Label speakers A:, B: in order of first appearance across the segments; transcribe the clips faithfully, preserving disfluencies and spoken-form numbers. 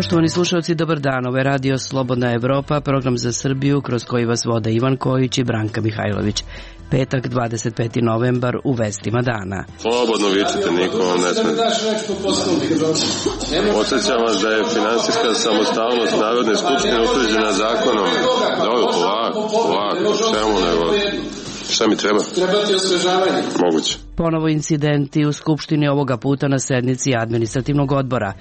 A: Poštovani slušalci, dobar dan. Ovo je Radio Slobodna Evropa, program za Srbiju kroz koji vas vode Ivan Kojić i Branka Mihajlović. Petak, dvadeset peti novembar, u vestima dana.
B: Slobodno vičite, niko vam ne smije. Podsjećam vas da je finansijska samostalnost Narodne skupštine utvrđena zakonom. Dobro, polako, polako, čemu nego? Šta mi treba?
C: Treba ti osvežavanje.
B: Moguće.
A: Ponovo incidenti u Skupštini, ovoga puta na sednici administrativnog odbora.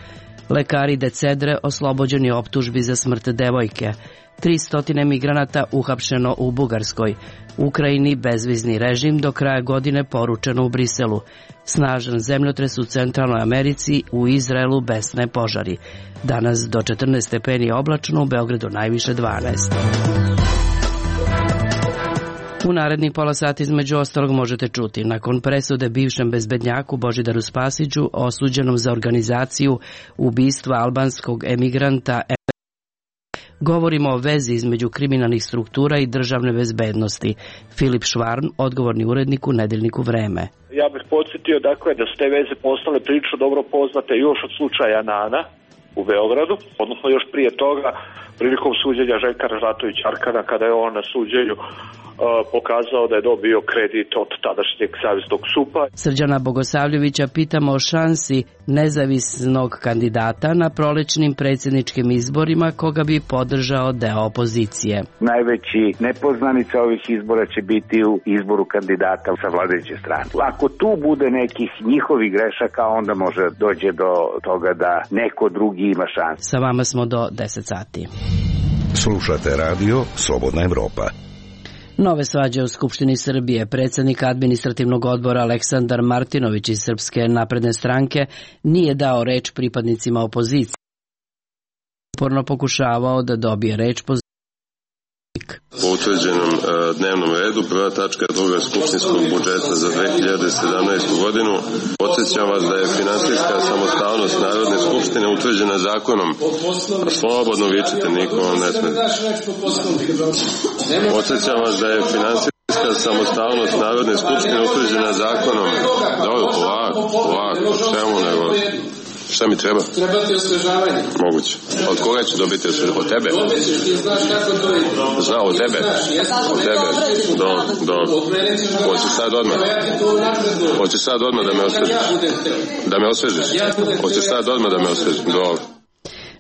A: Lekari Decedre oslobođeni optužbi za smrt devojke. tristo migranata uhapšeno u Bugarskoj. Ukrajini bezvizni režim do kraja godine, poručeno u Briselu. Snažan zemljotres u Centralnoj Americi, u Izraelu besne požari. Danas do četrnaest stepeni oblačno, u Beogradu najviše dvanaest. U narednih pola sata između ostalog možete čuti: nakon presude bivšem bezbednjaku Božidaru Spasiću, osuđenom za organizaciju ubistva albanskog emigranta, govorimo o vezi između kriminalnih struktura i državne bezbednosti. Filip Švarn, odgovorni urednik u nedeljniku Vreme.
D: Ja bih podsjetio dakle da su te veze postale prilično dobro poznate još od slučaja Nana u Beogradu, odnosno još prije toga prilikom suđenja Željka Ražnatovića Arkana, kada je on na suđenju Uh, pokazao da je dobio kredit od tadašnjeg zavisnog supa.
A: Srđana Bogosavljevića pitamo o šansi nezavisnog kandidata na prolećnim predsjedničkim izborima koga bi podržao deo opozicije.
E: Najveći nepoznanica ovih izbora će biti u izboru kandidata sa vladajuće strane. Ako tu bude nekih njihovih grešaka, onda može dođe do toga da neko drugi ima šansu.
A: Sa vama smo do deset sati.
F: Slušate radio Slobodna Evropa.
A: Nove svađe u Skupštini Srbije. Predsjednik administrativnog odbora Aleksandar Martinović iz Srpske napredne stranke nije dao reč pripadnicima opozicije. Uporno pokušavao da dobije reč po
B: Po utvrđenom e, dnevnom redu, prva tačka druga skupštinskog budžeta za dve hiljade sedamnaestu godinu. Podsjećam vas da je finansijska samostalnost Narodne skupštine utvrđena zakonom. A slobodno vičite, niko vam ne smije. Podsjećam vas da je finansijska samostalnost Narodne skupštine utvrđena zakonom. Dobro, polako, polako, čemu nego? Šta mi treba?
C: Treba ti osvežavanje.
B: Moguće. Od koga ću dobiti osvežavanje? Od tebe?
C: Ti znaš kako to je.
B: Zna, od tebe? Od tebe? Dobro, dobro. Hoćeš sad odmah? Hoćeš sad odmah da me osvežiš? Da me osvežiš? Hoćeš sad odmah da me osvežiš? Dobro.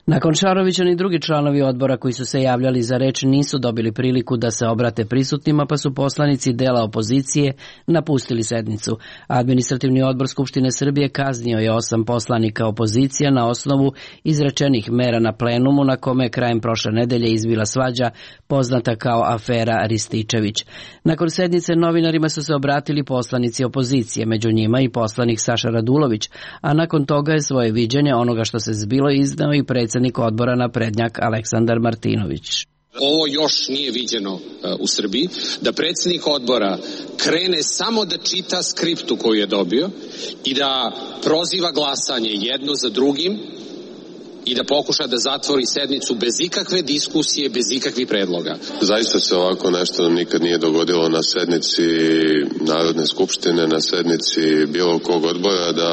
A: Nakon Šarovića ni drugi članovi odbora koji su se javljali za reč nisu dobili priliku da se obrate prisutnima, pa su poslanici dela opozicije napustili sednicu. Administrativni odbor Skupštine Srbije kaznio je osam poslanika opozicije na osnovu izrečenih mera na plenumu, na kome je krajem prošle nedelje izbila svađa poznata kao afera Rističević. Nakon sednice novinarima su se obratili poslanici opozicije, među njima i poslanik Saša Radulović, a nakon toga je svoje viđenje onoga što se zbilo izneo i predsjednik odbora naprednjak Aleksandar Martinović.
G: Ovo još nije viđeno uh, u Srbiji, da predsjednik odbora krene samo da čita skriptu koju je dobio i da proziva glasanje jedno za drugim i da pokuša da zatvori sednicu bez ikakve diskusije, bez ikakvih predloga.
B: Zaista se ovako nešto nam nikad nije dogodilo na sednici Narodne skupštine, na sednici bilo kog odbora, da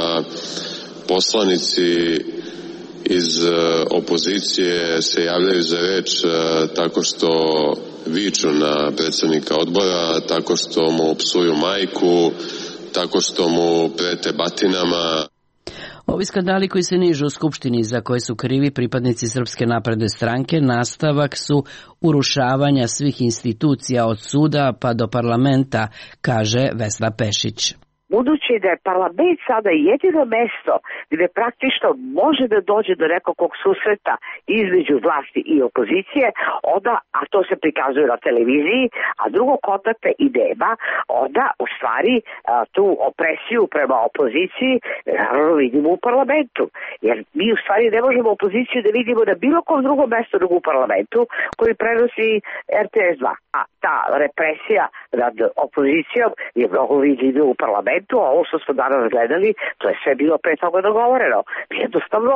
B: poslanici iz opozicije se javljaju za reč tako što viču na predsjednika odbora, tako što mu psuju majku, tako što mu prete batinama.
A: Ovi skandali koji se nižu u Skupštini, za koje su krivi pripadnici Srpske napredne stranke, nastavak su urušavanja svih institucija od suda pa do parlamenta, kaže Vesna Pešić.
H: Budući da je parlament sada jedino mesto gde praktično može da dođe do nekog susreta između vlasti i opozicije, onda, a to se prikazuje na televiziji, a drugog kontakta i nema, onda u stvari a, tu opresiju prema opoziciji naravno vidimo u parlamentu. Jer mi u stvari ne možemo opoziciju da vidimo na bilo kom drugom mestu nego u parlamentu koji prenosi er te es dva. A ta represija nad opozicijom je mnogo vidljiva u parlamentu. A ovo što smo danas gledali, to je sve bilo pre toga dogovoreno. Jednostavno,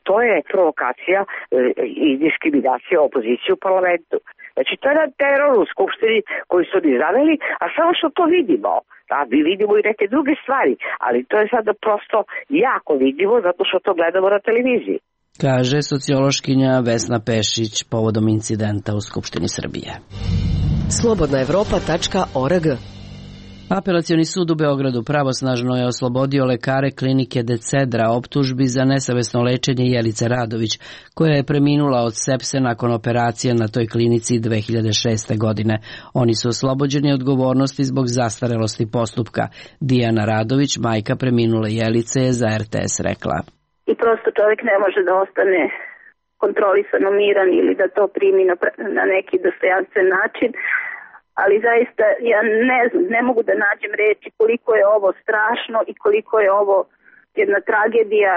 H: to je provokacija i diskriminacija opozicije u parlamentu. Znači, to je jedan teror u Skupštini koji su oni zaveli, a samo što to vidimo. Da, mi vidimo i neke druge stvari, ali to je sada prosto jako vidljivo zato što to gledamo na televiziji.
A: kaže sociološkinja Vesna Pešić povodom incidenta u Skupštini Srbije.
I: slobodna evropa tačka org.
A: Apelacioni sud u Beogradu pravosnažno je oslobodio lekare klinike Decedra optužbi za nesavesno lečenje Jelice Radović, koja je preminula od sepse nakon operacije na toj klinici dve hiljade šeste. godine. Oni su oslobođeni odgovornosti zbog zastarelosti postupka. Dijana Radović, majka preminule Jelice, je za er te es rekla.
J: I prosto čovjek ne može da ostane kontrolisano miran ili da to primi na, na neki dostojanstven način. Ali zaista ja ne znam, ne mogu da nađem reči koliko je ovo strašno i koliko je ovo jedna tragedija.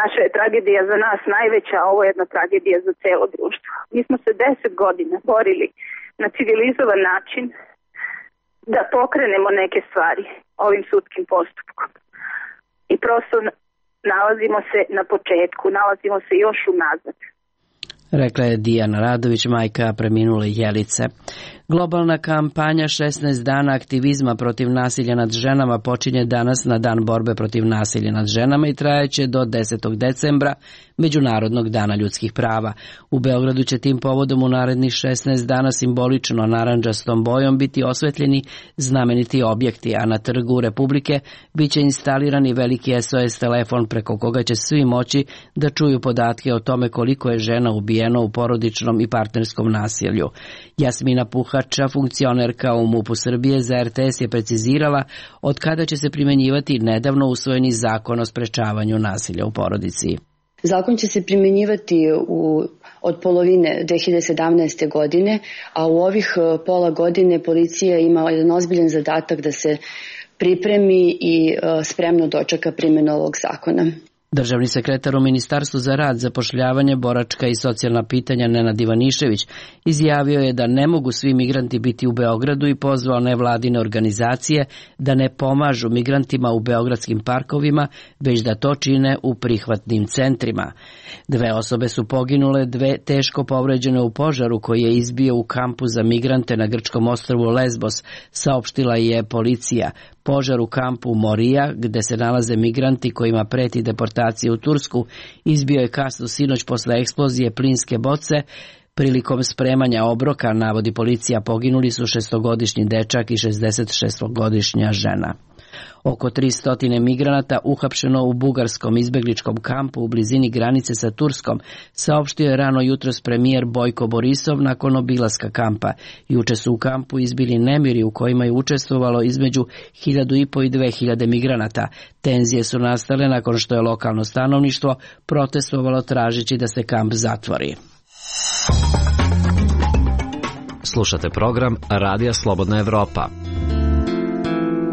J: Naša je tragedija za nas najveća, a ovo je jedna tragedija za celo društvo. Mi smo se deset godina borili na civilizovan način da pokrenemo neke stvari ovim sudskim postupkom. I prosto nalazimo se na početku, nalazimo se još unazad.
A: Rekla je Dijana Radović, majka preminule Jelice. Globalna kampanja šesnaest dana aktivizma protiv nasilja nad ženama počinje danas na Dan borbe protiv nasilja nad ženama i trajaće do desetog decembra, Međunarodnog dana ljudskih prava. U Beogradu će tim povodom u narednih šesnaest dana simbolično narandžastom bojom biti osvetljeni znameniti objekti, a na Trgu Republike biće instalirani veliki es o es telefon preko koga će svi moći da čuju podatke o tome koliko je žena ubijeno u porodičnom i partnerskom nasilju. Jasmina Puhača, funkcionerka u MUP-u Srbije, za er te es je precizirala od kada će se primenjivati nedavno usvojeni zakon o sprečavanju nasilja u porodici.
K: Zakon će se primjenjivati u, od polovine dve hiljade sedamnaeste. godine, a u ovih pola godine policija ima jedan ozbiljan zadatak da se pripremi i spremno dočeka primjenu ovog zakona.
A: Državni sekretar u Ministarstvu za rad, zapošljavanje, boračka i socijalna pitanja Nenad Ivanišević izjavio je da ne mogu svi migranti biti u Beogradu i pozvao nevladine organizacije da ne pomažu migrantima u beogradskim parkovima, već da to čine u prihvatnim centrima. Dve osobe su poginule, dve teško povređene u požaru koji je izbio u kampu za migrante na grčkom ostrvu Lesbos, saopštila je policija. Požar u kampu Morija, gde se nalaze migranti kojima preti deportacija u Tursku, izbio je kasno sinoć posle eksplozije plinske boce. Prilikom spremanja obroka, navodi policija, poginuli su šestogodišnji dečak i šezdesetšestogodišnja žena. Oko tristo migranata uhapšeno u bugarskom izbegličkom kampu u blizini granice sa Turskom, saopštio je rano jutros premijer Bojko Borisov nakon obilaska kampa. Juče su u kampu izbili nemiri u kojima je učestvovalo između hiljadu i po i dve hiljade migranata. Tenzije su nastale nakon što je lokalno stanovništvo protestovalo tražeći da se kamp zatvori.
L: Slušate program Radija Slobodna Evropa.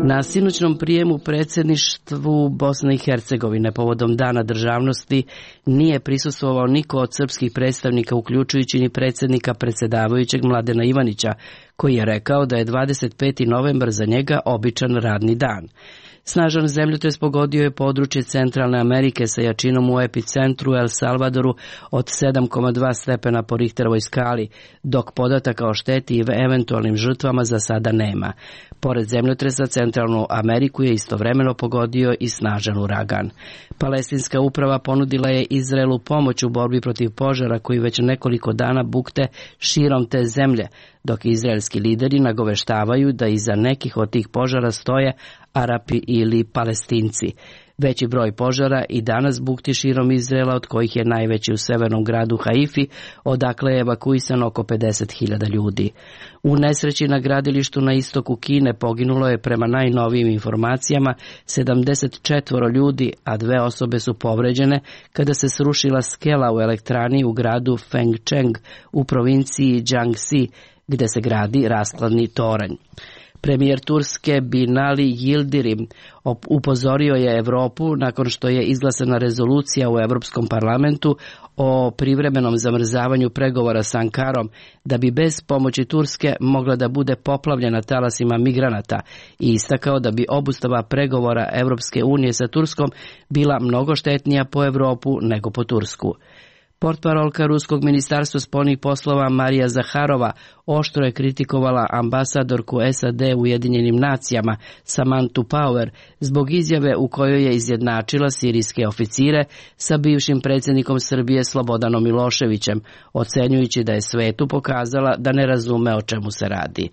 A: Na sinoćnom prijemu predsjedništvu Bosne i Hercegovine povodom Dana državnosti nije prisustvovao niko od srpskih predstavnika, uključujući ni predsjednika predsjedavajućeg Mladena Ivanića, koji je rekao da je dvadeset peti novembar za njega običan radni dan. Snažan zemljotres pogodio je područje Centralne Amerike sa jačinom u epicentru El Salvadoru od sedam zarez dva stepena po Richterovoj skali, dok podataka o šteti i eventualnim žrtvama za sada nema. Pored zemljotresa, Centralnu Ameriku je istovremeno pogodio i snažan uragan. Palestinska uprava ponudila je Izraelu pomoć u borbi protiv požara koji već nekoliko dana bukte širom te zemlje, dok izraelski lideri nagoveštavaju da iza nekih od tih požara stoje Arapi ili Palestinci. Veći broj požara i danas bukti širom Izraela, od kojih je najveći u severnom gradu Haifi, odakle je evakuisano oko pedeset hiljada ljudi. U nesreći na gradilištu na istoku Kine poginulo je prema najnovijim informacijama sedamdeset četvoro ljudi, a dve osobe su povređene kada se srušila skela u elektrani u gradu Fengcheng u provinciji Jiangxi, gde se gradi raskladni toranj. Premijer Turske Binali Yildirim upozorio je Evropu nakon što je izglasana rezolucija u Evropskom parlamentu o privremenom zamrzavanju pregovora s Ankarom, da bi bez pomoći Turske mogla da bude poplavljena talasima migranata, i istakao da bi obustava pregovora Evropske unije sa Turskom bila mnogo štetnija po Evropu nego po Tursku. Portparolka Ruskog ministarstva spoljnih poslova Marija Zaharova oštro je kritikovala ambasadorku S A D u Ujedinjenim nacijama Samanthu Power zbog izjave u kojoj je izjednačila sirijske oficire sa bivšim predsjednikom Srbije Slobodanom Miloševićem, ocenjujući da je svetu pokazala da ne razume o čemu se radi.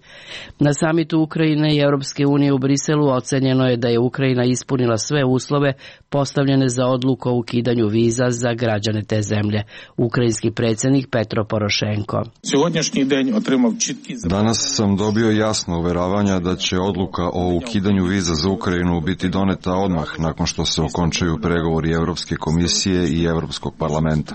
A: Na samitu Ukrajine i Europske unije u Briselu ocenjeno je da je Ukrajina ispunila sve uslove postavljene za odluku o ukidanju viza za građane te zemlje. Ukrajinski predsjednik Petro Porošenko.
M: Danas sam dobio jasno uveravanja da će odluka o ukidanju viza za Ukrajinu biti doneta odmah nakon što se okončaju pregovori Europske komisije i Europskog parlamenta.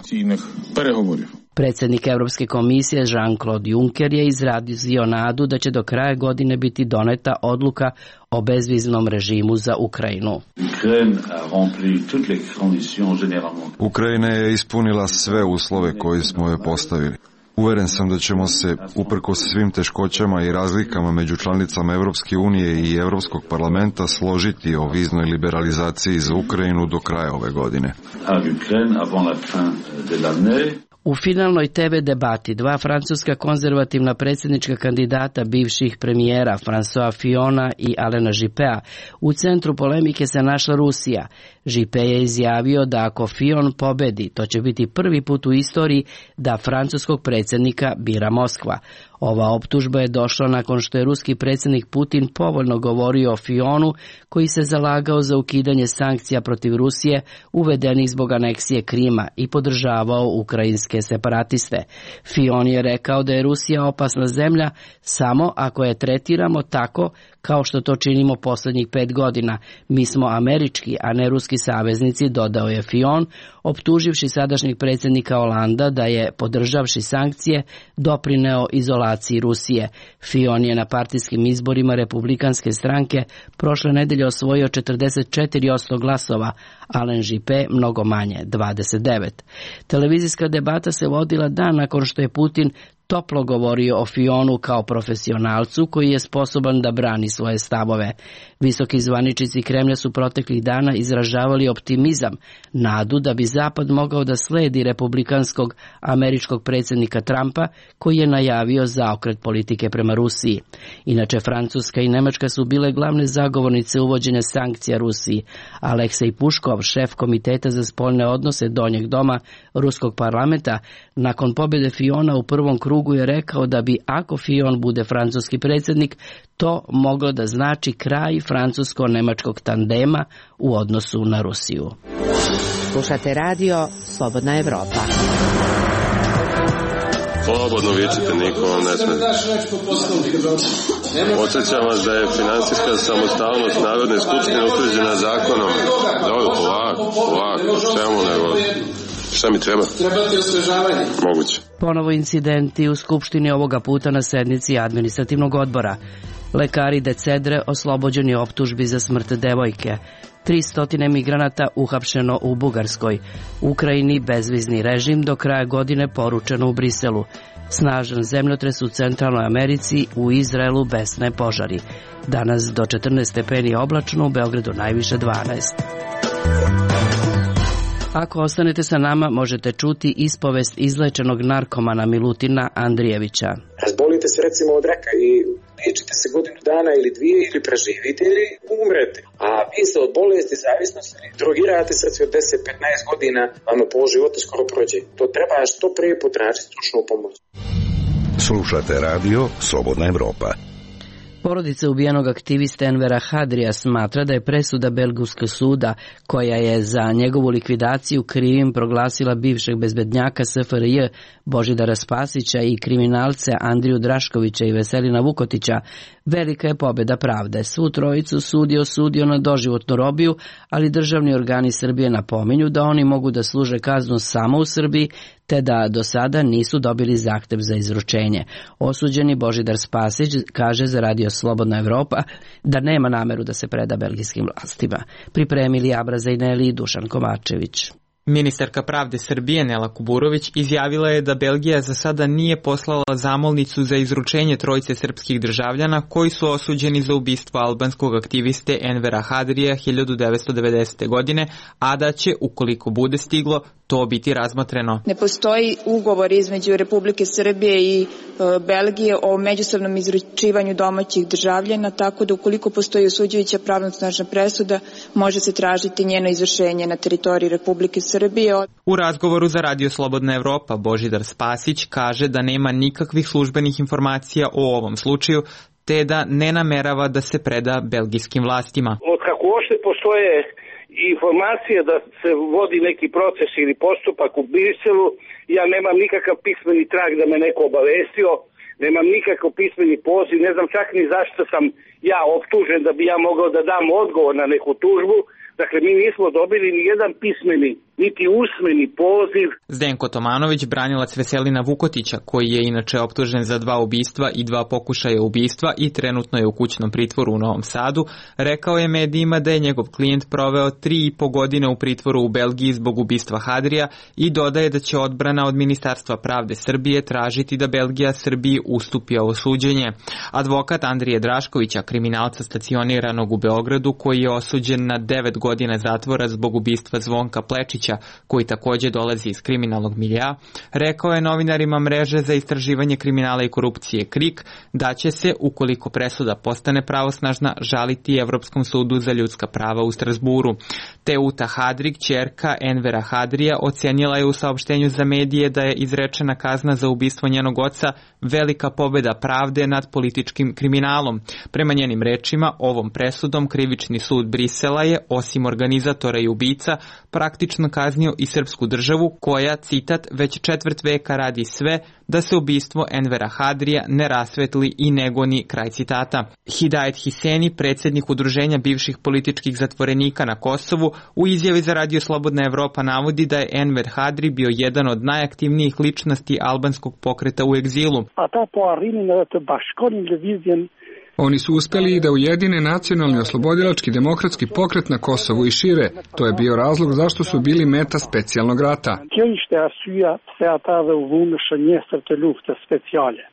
A: Predsjednik Europske komisije Jean-Claude Juncker je izrazio nadu da će do kraja godine biti doneta odluka o bezviznom režimu za Ukrajinu.
M: Ukrajina je ispunila sve uslove koje smo joj postavili. Uveren sam da ćemo se, uprkos svim teškoćama i razlikama među članicama Europske unije i Europskog parlamenta, složiti o viznoj liberalizaciji za Ukrajinu do kraja ove godine.
A: U finalnoj te ve debati dva francuska konzervativna predsjednička kandidata bivših premijera François Fillona i Alena Juppea u centru polemike se našla Rusija. Juppé je izjavio da ako Fillon pobedi, to će biti prvi put u istoriji da francuskog predsjednika bira Moskva. Ova optužba je došla nakon što je ruski predsjednik Putin povoljno govorio o Fillonu, koji se zalagao za ukidanje sankcija protiv Rusije uvedenih zbog aneksije Krima i podržavao ukrajinske separatiste. Fillon je rekao da je Rusija opasna zemlja samo ako je tretiramo tako kao što to činimo posljednjih pet godina. Mi smo američki, a ne ruski saveznici, dodao je Fillon, optuživši sadašnjeg predsjednika Holanda da je, podržavši sankcije, doprineo izolaciji Rusije. Fillon je na partijskim izborima republikanske stranke prošle nedelje osvojio četrdeset četiri posto glasova, Alain Juppé mnogo manje, dvadeset devet. Televizijska debata se vodila dan nakon što je Putin toplo govorio o Fillonu kao profesionalcu koji je sposoban da brani svoje stavove. Visoki zvaničnici Kremlja su proteklih dana izražavali optimizam, nadu da bi Zapad mogao da sledi republikanskog američkog predsjednika Trumpa, koji je najavio zaokret politike prema Rusiji. Inače, Francuska i Nemačka su bile glavne zagovornice uvođenja sankcija Rusiji. Aleksej Puškov, šef Komiteta za spoljne odnose Donjeg doma Ruskog parlamenta, nakon pobjede Fillona u prvom krugu je rekao da bi, ako Fillon bude francuski predsjednik, to moglo da znači kraj francusko-nemačkog tandema u odnosu na Rusiju.
I: Slušate radio Slobodna Evropa.
B: Slobodno vičite, niko vam ne smije. Podsjećam vas da je finansijska samostalnost Narodne skupštine utvrđena zakonom. Dobro, polako, polako, čemu nego... Šta mi treba?
C: Trebate osvežavanje.
B: Moguće.
A: Ponovo incidenti u Skupštini, ovoga puta na sednici administrativnog odbora. Lekari de Cedre oslobođeni optužbi za smrt devojke. tristo migranata uhapšeno u Bugarskoj. Ukrajini bezvizni režim do kraja godine, poručeno u Briselu. Snažan zemljotres u Centralnoj Americi, u Izraelu besne požari. Danas do četrnaest stepeni oblačno, u Beogradu najviše dvanaest. Ako ostanete sa nama, možete čuti ispovest izlečenog narkomana Milutina Andrijevića.
N: Razbolite se recimo od raka i liječite se godinu dana ili dvije ili preživite ili umrete. A vi se od bolesti, zavisnosti, drogirate se od deset do petnaest godina, vam pol života skoro prođe. To treba što prije potražiti stručnu pomoć.
F: Slušate radio Slobodna Evropa.
A: Porodica ubijenog aktivista Envera Hadrija smatra da je presuda Belgijskog suda, koja je za njegovu likvidaciju krivim proglasila bivšeg bezbednjaka S F R J Božidara Spasića i kriminalce Andriju Draškovića i Veselina Vukotića, velika je pobjeda pravde. Svu trojicu sud je osudio na doživotnu robiju, ali državni organi Srbije napominju da oni mogu da služe kaznu samo u Srbiji, te da do sada nisu dobili zahtev za izručenje. Osuđeni Božidar Spasić kaže za radio Slobodna Evropa da nema nameru da se preda belgijskim vlastima. Pripremili Abraza i Neli i Dušan Kovačević.
O: Ministarka pravde Srbije Nela Kuburović izjavila je da Belgija za sada nije poslala zamolnicu za izručenje trojice srpskih državljana koji su osuđeni za ubistvo albanskog aktiviste Envera Hadrija hiljadu devetsto devedesete. godine, a da će, ukoliko bude stiglo, to biti razmotreno.
P: Ne postoji ugovor između Republike Srbije i e, Belgije o međusobnom izručivanju domaćih državljana, tako da ukoliko postoji osuđujuća pravnosnažna presuda, može se tražiti njeno izvršenje na teritoriji Republike Srbije.
O: U razgovoru za Radio Slobodna Evropa Božidar Spasić kaže da nema nikakvih službenih informacija o ovom slučaju, te da ne namerava da se preda belgijskim vlastima.
Q: Od kako uopšte postoje informacije da se vodi neki proces ili postupak u Briselu, ja nemam nikakav pismeni trag da me neko obavestio, nemam nikakav pismeni poziv, ne znam čak ni zašto sam ja optužen da bi ja mogao da dam odgovor na neku tužbu. Dakle, mi nismo dobili ni jedan pismeni, niti usmeni poziv.
O: Zdenko Tomanović, branilac Veselina Vukotića, koji je inače optužen za dva ubistva i dva pokušaja ubistva i trenutno je u kućnom pritvoru u Novom Sadu, rekao je medijima da je njegov klijent proveo tri i po godine u pritvoru u Belgiji zbog ubistva Hadrija i dodaje da će odbrana od Ministarstva pravde Srbije tražiti da Belgija Srbiji ustupi ovo suđenje. Advokat Andrije Draškovića, kriminalca stacioniranog u Beogradu, koji je osuđen na devet godina zatvora zbog ubistva Zvonka Plečića, koji takođe dolazi iz kriminalnog milja, rekao je novinarima mreže za istraživanje kriminala i korupcije KRIK da će se, ukoliko presuda postane pravosnažna, žaliti Evropskom sudu za ljudska prava u Strasburu. Teuta Hadrig, ćerka Envera Hadrija, ocenila je u saopštenju za medije da je izrečena kazna za ubistvo njenog oca velika pobeda pravde nad političkim kriminalom. Prema njenim rečima, ovom presudom krivični sud Brisela je, osim organizatora i ubica, praktično kaznio i srpsku državu koja, citat, već četvrt veka radi sve da se ubistvo Envera Hadrija ne rasvetli i ne goni, kraj citata. Hidajet Hiseni, predsjednik udruženja bivših političkih zatvorenika na Kosovu, u izjavi za Radio Slobodna Evropa navodi da je Enver Hadri bio jedan od najaktivnijih ličnosti albanskog pokreta u egzilu.
R: Oni su uspeli i da ujedine nacionalni oslobodilački demokratski pokret na Kosovu i šire. To je bio razlog zašto su bili meta specijalnog rata.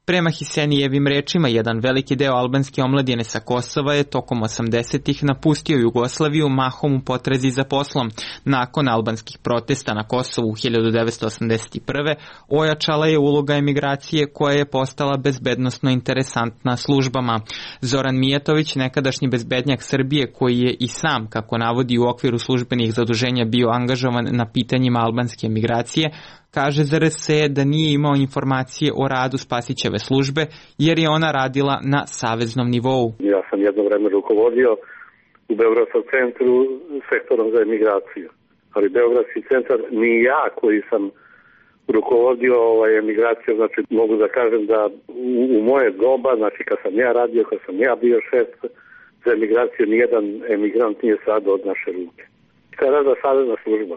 O: Prema Hisenijevim rečima, jedan veliki deo albanske omladine sa Kosova je tokom osamdesetih napustio Jugoslaviju mahom u potrazi za poslom. Nakon albanskih protesta na Kosovu u hiljadu devetsto osamdeset prve. ojačala je uloga emigracije koja je postala bezbednosno interesantna službama. Zoran Mijatović, nekadašnji bezbednjak Srbije, koji je i sam, kako navodi, u okviru službenih zaduženja bio angažovan na pitanjima albanske emigracije, kaže za R S E da nije imao informacije o radu Spasićeve službe, jer je ona radila na saveznom nivou.
S: Ja sam jedno vreme rukovodio u Beogradskom centru sektorom za emigraciju, ali Beogradski centar ni ja koji sam rukovodio ovaj, emigraciju, znači mogu da kažem da u, u moje doba, znači kad sam ja radio, kad sam ja bio šef za emigraciju, nijedan emigrant nije sad od naše ruke. Šta je rada savezna služba?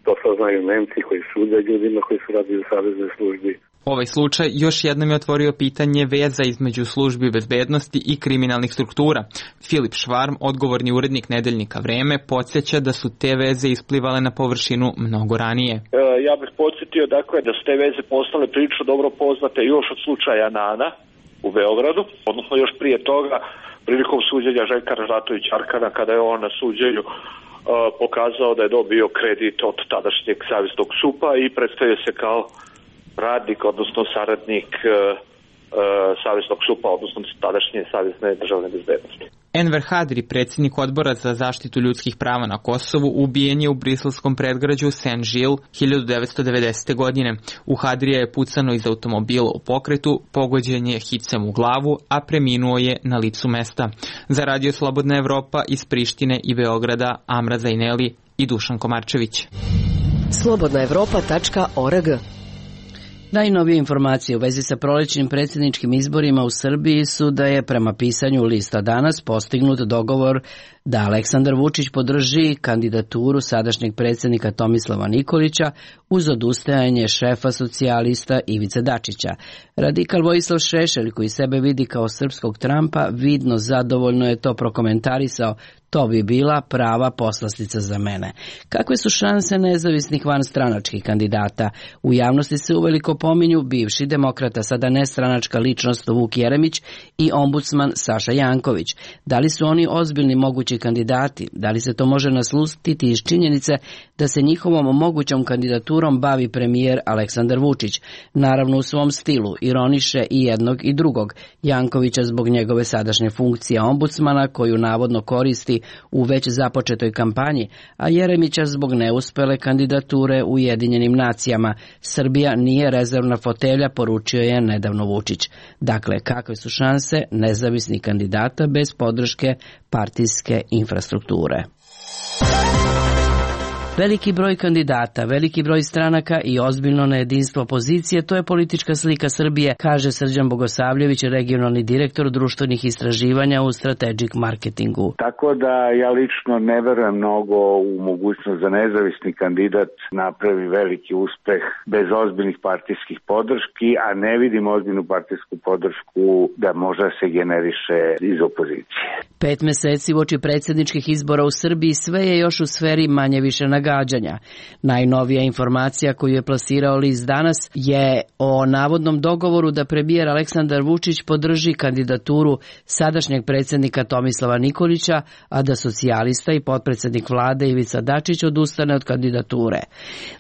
S: To sad znaju Nemci koji sude ljudima koji su radili u saveznoj službi.
O: Ovaj slučaj još jednom je otvorio pitanje veza između službi bezbednosti i kriminalnih struktura. Filip Švarm, odgovorni urednik nedeljnika Vreme, podsjeća da su te veze isplivale na površinu mnogo ranije.
D: E, ja bih podsjetio dakle da su te veze postale prilično dobro poznate još od slučaja Nana u Beogradu, odnosno još prije toga prilikom suđenja Željka Ražnatovića Arkana, kada je on na suđenju uh, pokazao da je dobio kredit od tadašnjeg saveznog supa i predstavio se kao radnik, odnosno saradnik uh, uh, saveznog supa, odnosno tadašnje savezne državne bezbednosti.
O: Enver Hadri, predsjednik odbora za zaštitu ljudskih prava na Kosovu, ubijen je u briselskom predgrađu Saint-Gilles hiljadu devetsto devedesete. godine. U Hadrija je pucano iz automobila u pokretu, pogođen je hicem u glavu, a preminuo je na licu mesta. Za Radio Slobodna Evropa iz Prištine i Beograda, Amra Zajneli i Dušan Komarčević.
I: slobodna evropa tačka org.
A: Najnovije informacije u vezi sa prolećnim predsjedničkim izborima u Srbiji su da je prema pisanju lista Danas postignut dogovor da Aleksandar Vučić podrži kandidaturu sadašnjeg predsjednika Tomislava Nikolića uz odustajanje šefa socijalista Ivice Dačića. Radikal Vojislav Šešelj, koji sebe vidi kao srpskog Trumpa, vidno zadovoljno je to prokomentarisao To bi bila prava poslastica za mene. Kakve su šanse nezavisnih vanstranačkih kandidata? U javnosti se uveliko pominju bivši demokrata, sada nestranačka ličnost Vuk Jeremić i ombudsman Saša Janković. Da li su oni ozbiljni mogući kandidati? Da li se to može naslutiti iz činjenice da se njihovom mogućom kandidaturom bavi premijer Aleksandar Vučić? Naravno u svom stilu, ironiše i jednog i drugog. Jankovića zbog njegove sadašnje funkcije ombudsmana koju navodno koristi u već započetoj kampanji, a Jeremića zbog neuspele kandidature u Ujedinjenim nacijama. Srbija nije rezervna fotelja, poručio je nedavno Vučić. Dakle, kakve su šanse nezavisnih kandidata bez podrške partijske infrastrukture? Veliki broj kandidata, veliki broj stranaka i ozbiljno nejedinstvo opozicije, to je politička slika Srbije, kaže Srđan Bogosavljević, regionalni direktor društvenih istraživanja u Strategic Marketingu.
E: Tako da ja lično ne verujem mnogo u mogućnost da nezavisni kandidat napravi veliki uspeh bez ozbiljnih partijskih podrški, a ne vidim ozbiljnu partijsku podršku da možda se generiše iz opozicije.
A: Pet meseci uoči predsjedničkih izbora u Srbiji sve je još u sferi manje više nagađanja. Najnovija informacija koju je plasirao list Danas je o navodnom dogovoru da premijer Aleksandar Vučić podrži kandidaturu sadašnjeg predsjednika Tomislava Nikolića, a da socijalista i potpredsjednik vlade Ivica Dačić odustane od kandidature.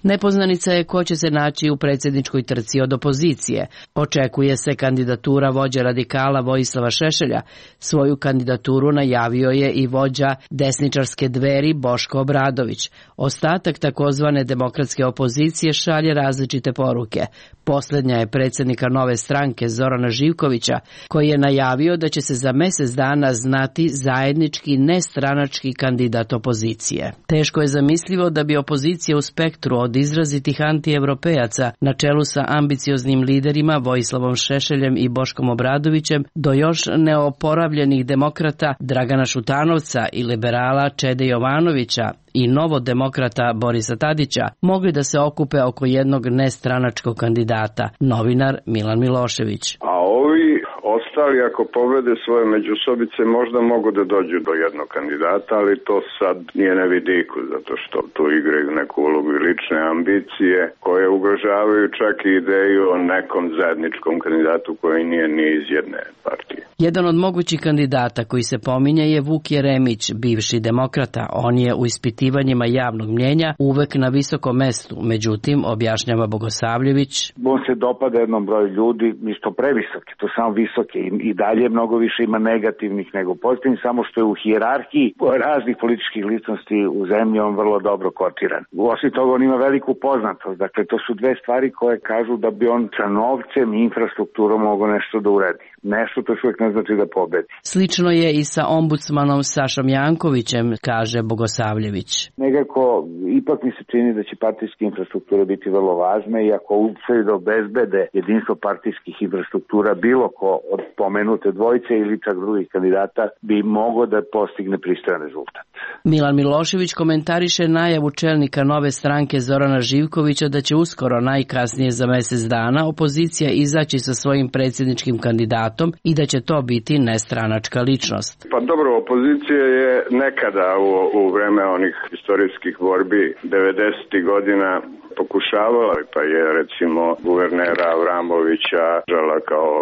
A: Nepoznanica je ko će se naći u predsjedničkoj trci od opozicije. Očekuje se kandidatura vođe radikala Vojislava Šešelja. Svoju kandidaturu najavio je i vođa desničarske Dveri Boško Obradović. Ostatak takozvane demokratske opozicije šalje različite poruke. Posljednja je predsjednika Nove stranke Zorana Živkovića, koji je najavio da će se za mjesec dana znati zajednički nestranački kandidat opozicije. Teško je zamislivo da bi opozicija u spektru od izrazitih antievropejaca na čelu sa ambicioznim liderima Vojislavom Šešeljem i Boškom Obradovićem do još neoporavljenih demokrata Dragana Šutanovca i liberala Čede Jovanovića i novodemokrata Borisa Tadića mogli da se okupe oko jednog nestranačkog kandidata, novinar Milan Milošević.
T: A ovi ostali ako pobede svoje međusobice možda mogu da dođu do jednog kandidata, ali to sad nije na vidiku, zato što tu igraju neku ulogu i lične ambicije koje ugrožavaju čak i ideju o nekom zajedničkom kandidatu koji nije ni iz jedne partije.
A: Jedan od mogućih kandidata koji se pominje je Vuk Jeremić, bivši demokrata. On je u ispitivanjima javnog mnjenja uvek na visokom mestu, međutim, objašnjava Bogosavljević.
E: On se dopada jednom broju ljudi, isto previsoke, to samo visoke i, i dalje mnogo više ima negativnih nego pozitivnih, samo što je u hijerarhiji raznih političkih ličnosti u zemlji on vrlo dobro kotiran. Osim toga on ima veliku poznatost, dakle to su dve stvari koje kažu da bi on sa novcem i infrastrukturom mogao nešto da uredi. Nešto to uvijek ne znači da pobedi.
A: Slično je i sa ombudsmanom Sašom Jankovićem, kaže Bogosavljević.
E: Nekako, ipak mi se čini da će partijske infrastrukture biti vrlo važne i ako uspiju da obezbede jedinstvo partijskih infrastruktura bilo ko od pomenute dvojice ili čak drugih kandidata bi mogao da postigne pristojan rezultat.
A: Milan Milošević komentariše najavu čelnika Nove stranke Zorana Živkovića da će uskoro, najkasnije za mjesec dana, opozicija izaći sa svojim predsjedničkim kandidatom i da će to biti nestranačka ličnost.
T: Pa dobro, opozicija je nekada u, u vreme onih istorijskih borbi devedesetih godina pokušavala, pa je recimo guvernera Avramovića žala kao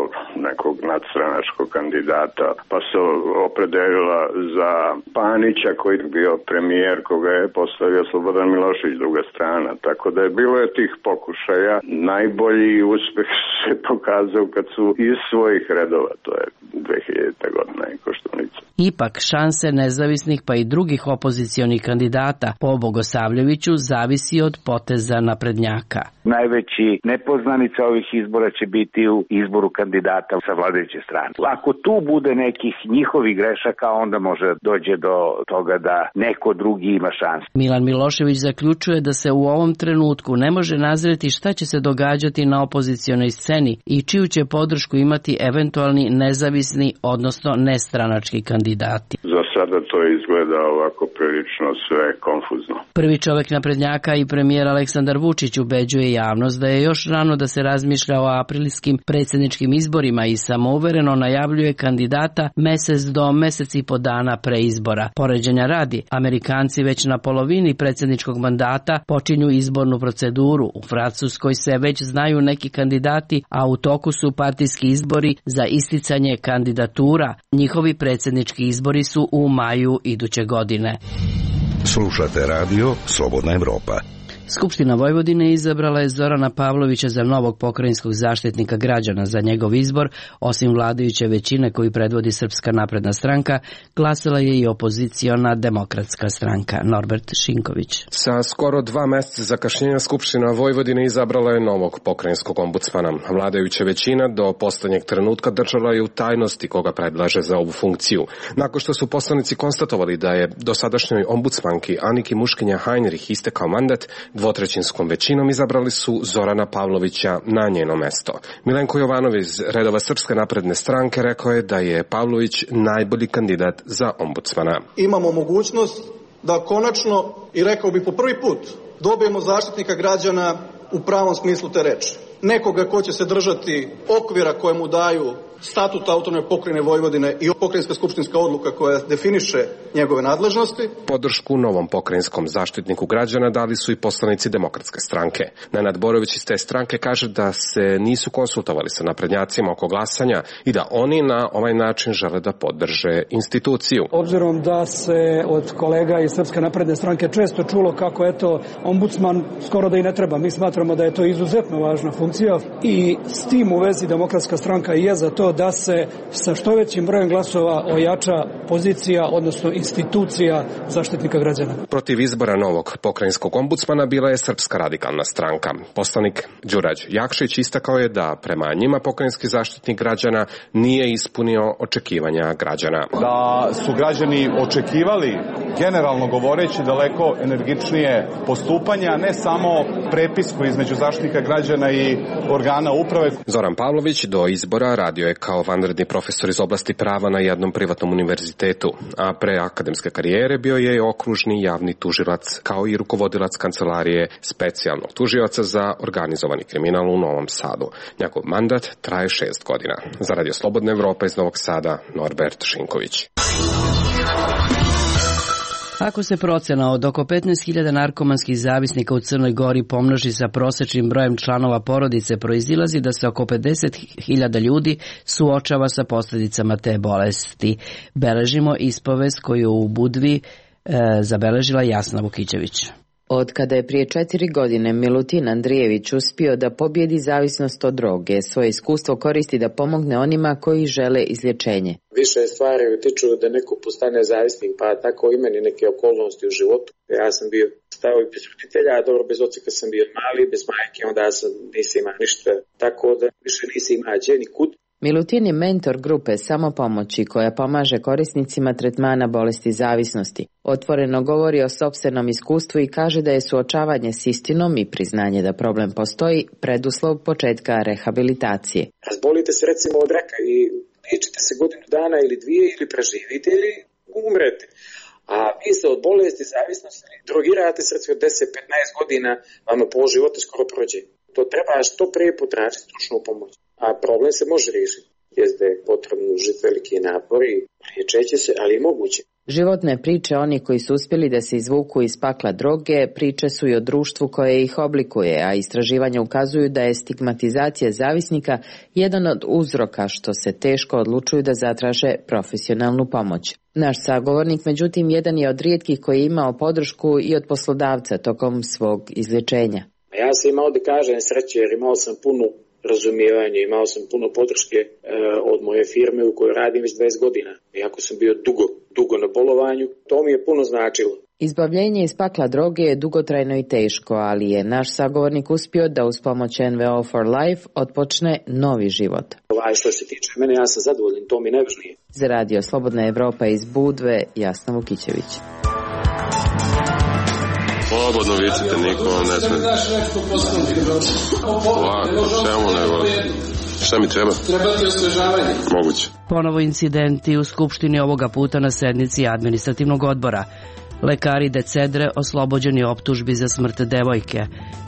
T: nekog nadstranačkog kandidata, pa se opredelila za Panića koji je bio premijer koga je postavio Slobodan Milošević, druga strana, tako da je bilo je tih pokušaja. Najbolji uspeh se pokazao kad su iz svojih redova, to je dve hiljadite godina i Koštunica.
A: Ipak šanse nezavisnih pa i drugih opozicionih kandidata po Bogosavljeviću zavisi od poteza naprednjaka.
E: Najveći nepoznanica ovih izbora će biti u izboru kandidata sa vladajuće strane. Ako tu bude nekih njihovih grešaka, onda može dođe do toga da neko drugi ima šanse.
A: Milan Milošević zaključuje da se u ovom trenutku ne može nazreti šta će se događati na opozicionoj sceni i čiju će podršku imati eventualni nezavisni, odnosno nestranački kandidati.
T: Za sada to izgleda ovako prilično sve konfuzno.
A: Prvi čovjek naprednjaka i premijer Aleksandar Vučić ubeđuje javnost da je još rano da se razmišlja o aprilskim predsjedničkim izborima i samouvereno najavljuje kandidata mesec do mesec i po dana pre izbora. Poređenja radi, Amerikanci već na polovini predsjedničkog mandata počinju izbornu proceduru. U Francuskoj se već znaju neki kandidati, a u toku su partijski izbori za isticanje kandidatura. Njihovi predsjednički izbori su u maju iduće godine.
F: Slušate radio Slobodna Evropa.
A: Skupština Vojvodine izabrala je Zorana Pavlovića za novog pokrajinskog zaštitnika građana. Za njegov izbor, osim vladajuće većine koju predvodi Srpska napredna stranka, glasala je i opoziciona Demokratska stranka. Norbert Šinković.
U: Sa skoro dva meseca zakašnjenja Skupština Vojvodine izabrala je novog pokrajinskog ombudsmana. Vladajuća većina do poslednjeg trenutka držala je u tajnosti koga predlaže za ovu funkciju. Nakon što su poslanici konstatovali da je dosadašnjoj ombudsmanki Aniki Muškinja Heinrich istekao mandat, dvotrećinskom većinom izabrali su Zorana Pavlovića na njeno mesto. Milenko Jovanov iz redova Srpske napredne stranke rekao je da je Pavlović najbolji kandidat za ombudsmana.
V: Imamo mogućnost da konačno, i rekao bi po prvi put, dobijemo zaštitnika građana u pravom smislu te reči. Nekoga ko će se držati okvira koje mu daju statut autonomne pokrajine Vojvodine i pokrajinska skupštinska odluka koja definiše njegove nadležnosti.
U: Podršku novom pokrajinskom zaštitniku građana dali su i poslanici Demokratske stranke. Nenad Borović iz te stranke kaže da se nisu konsultovali sa naprednjacima oko glasanja i da oni na ovaj način žele da podrže instituciju.
W: Obzirom da se od kolega iz Srpske napredne stranke često čulo kako eto ombudsman skoro da i ne treba. Mi smatramo da je to izuzetno važna funkcija i s tim u vezi Demokratska stranka je za to da se sa što većim brojem glasova ojača pozicija, odnosno institucija zaštitnika građana.
U: Protiv izbora novog pokrajinskog ombudsmana bila je Srpska radikalna stranka. Poslanik Đurađ Jakšić istakao je da prema njima pokrajinski zaštitnik građana nije ispunio očekivanja građana.
X: Da su građani očekivali, generalno govoreći, daleko energičnije postupanje, a ne samo prepisku između zaštitnika građana i organa uprave.
U: Zoran Pavlović do izbora radio je kao vanredni profesor iz oblasti prava na jednom privatnom univerzitetu, a pre akademske karijere bio je okružni javni tužilac kao i rukovodilac kancelarije specijalnog tužioca za organizovani kriminal u Novom Sadu. Njegov mandat traje šest godina. Za Radio Slobodna Evropa iz Novog Sada, Norbert Šinković.
A: Ako se procena od oko petnaest hiljada narkomanskih zavisnika u Crnoj Gori pomnoži sa prosečnim brojem članova porodice, proizilazi da se oko pedeset hiljada ljudi suočava sa posljedicama te bolesti. Beležimo ispovest koju u Budvi e, zabeležila Jasna Vukićević.
Y: Od kada je prije četiri godine Milutin Andrijević uspio da pobjedi zavisnost od droge, svoje iskustvo koristi da pomogne onima koji žele izlječenje.
N: Više stvari utiču da neko postane zavisnik, pa tako i meni neke okolnosti u životu. Ja sam bio stavovi bez roditelja, a dobro bez oca kad sam bio mali, bez majke, onda sam nisi imao ništa, tako da više nisi imao gdje nikud.
Y: Milutin je mentor grupe Samopomoći koja pomaže korisnicima tretmana bolesti zavisnosti. Otvoreno govori o sopstvenom iskustvu i kaže da je suočavanje s istinom i priznanje da problem postoji preduslov početka rehabilitacije.
N: Razbolite se recimo od raka i liječite se godinu dana ili dvije ili preživite ili umrete. A vi se od bolesti zavisnosti drogirate se od deset do petnaest godina, vama pol života skoro prođe. To treba što prije potražiti stručnu pomoć. A problem se može riješiti. Jest da je potrebno užiti veliki napor i liječeće se, ali i moguće.
Y: Životne priče onih koji su uspjeli da se izvuku iz pakla droge priče su i o društvu koje ih oblikuje, a istraživanja ukazuju da je stigmatizacija zavisnika jedan od uzroka što se teško odlučuju da zatraže profesionalnu pomoć. Naš sagovornik, međutim, jedan je od rijetkih koji je imao podršku i od poslodavca tokom svog izlječenja.
N: Ja sam imao da kažem sreće jer imao sam puno razumijevanje, imao sam puno podrške e, od moje firme u kojoj radim već dvadeset godina. Iako sam bio dugo, dugo na bolovanju, to mi je puno značilo.
Y: Izbavljenje iz pakla droge je dugotrajno i teško, ali je naš sagovornik uspio da uz pomoć N V O for Life otpočne novi život.
N: Ovaj što se tiče mene, ja sam zadovoljan, to mi najvažnije.
Y: Za Radio Slobodna Evropa iz Budve, Jasna Vukićević.
B: Slobodno vicite, niko vam ne sme. Ovako, čemu nego? Šta mi treba?
C: Treba ti osvežavanje.
B: Moguće.
A: Ponovo incidenti u Skupštini, ovoga puta na sednici administrativnog odbora. Lekari de Cedre oslobođeni optužbi za smrt devojke.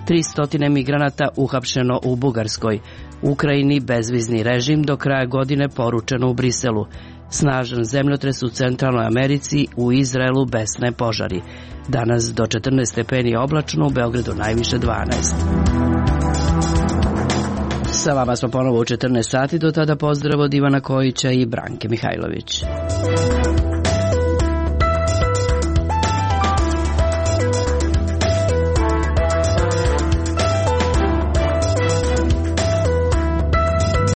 A: tristo migranata uhapšeno u Bugarskoj. Ukrajini bezvizni režim do kraja godine, poručeno u Briselu. Snažan zemljotres u Centralnoj Americi, u Izraelu besne požari. Danas do četrnaest stepeni oblačno, u Beogradu najviše dvanaest. Sa vama smo ponovo u četrnaest sati, do tada pozdrav od Ivana Kojića i Branke Mihajlović.